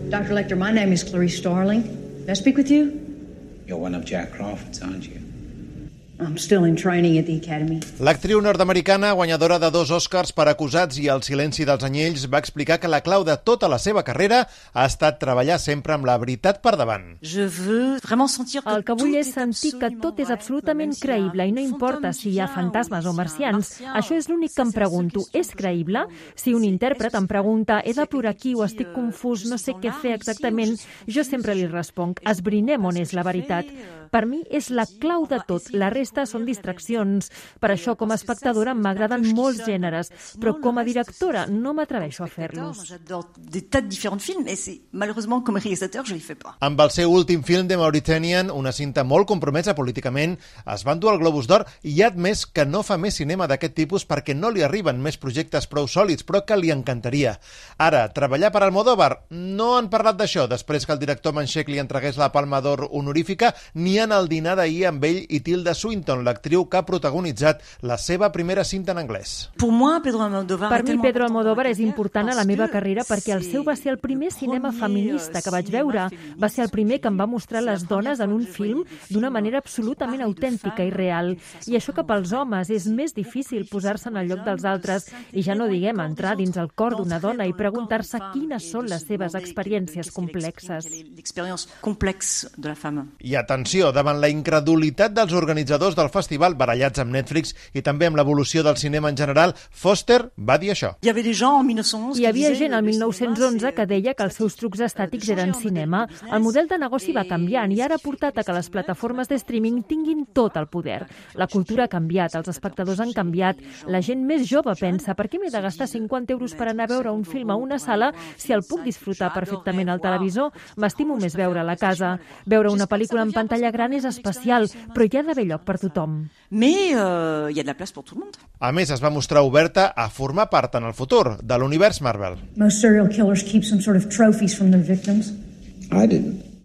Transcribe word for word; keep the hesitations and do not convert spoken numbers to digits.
Doctor Lecter, my name is Clarice Starling. May I speak with you? You're one of Jack Crawford's, aren't you? I'm still in training at the Academy. L'actriu nord-americana, guanyadora de dos Oscars per Acusats i El silenci dels anyells, va explicar que la clau de tota la seva carrera ha estat treballar sempre amb la veritat per davant. El que vull és sentir que tot és absolutament creïble i no importa si hi ha fantasmes o marcians. Això és l'únic que em pregunto. És creïble? Si un intèrpret em pregunta he de plorar aquí o estic confús, no sé què fer exactament, jo sempre li responc, esbrinem on és la veritat. Per mi és la clau de tot, la resta són distraccions. Per això, com a espectadora, m'agraden molts gèneres, però com a directora no m'atreveixo a fer-los. Amb el seu últim film, The Mauritanian, una cinta molt compromesa políticament, es va endur el Globus d'Or i ha admès que no fa més cinema d'aquest tipus perquè no li arriben més projectes prou sòlids, però que li encantaria. Ara, treballar per Almodóvar? No han parlat d'això, després que el director manxec li entregués la Palma d'Or honorífica, ni en el dinar d'ahir amb ell i Tilda Swinton, l'actriu que ha protagonitzat la seva primera cinta en anglès. Per mi, Pedro Almodóvar és important a la meva carrera perquè el seu va ser el primer cinema feminista que vaig veure. Va ser el primer que em va mostrar les dones en un film d'una manera absolutament autèntica i real. I això que pels homes és més difícil posar-se en el lloc dels altres i ja no diguem entrar dins el cor d'una dona i preguntar-se quines són les seves experiències complexes. I atenció, davant la incredulitat dels organitzadors del festival barallats amb Netflix i també amb l'evolució del cinema en general, Foster va dir això. Hi havia gent al mil nou-cents onze que deia que els seus trucs estàtics eren cinema. El model de negoci va canviant i ara ha portat a que les plataformes de streaming tinguin tot el poder. La cultura ha canviat, els espectadors han canviat, la gent més jove pensa per què m'he de gastar cinquanta euros per anar a veure un film a una sala si el puc disfrutar perfectament al televisor? M'estimo més veure a la casa. Veure una pel·lícula en pantalla gran és especial, però hi ha d'haver lloc per tothom. A més, es va mostrar oberta a formar part en el futur de l'univers Marvel. Most serial killers keep some sort of trophies from their victims. I didn't.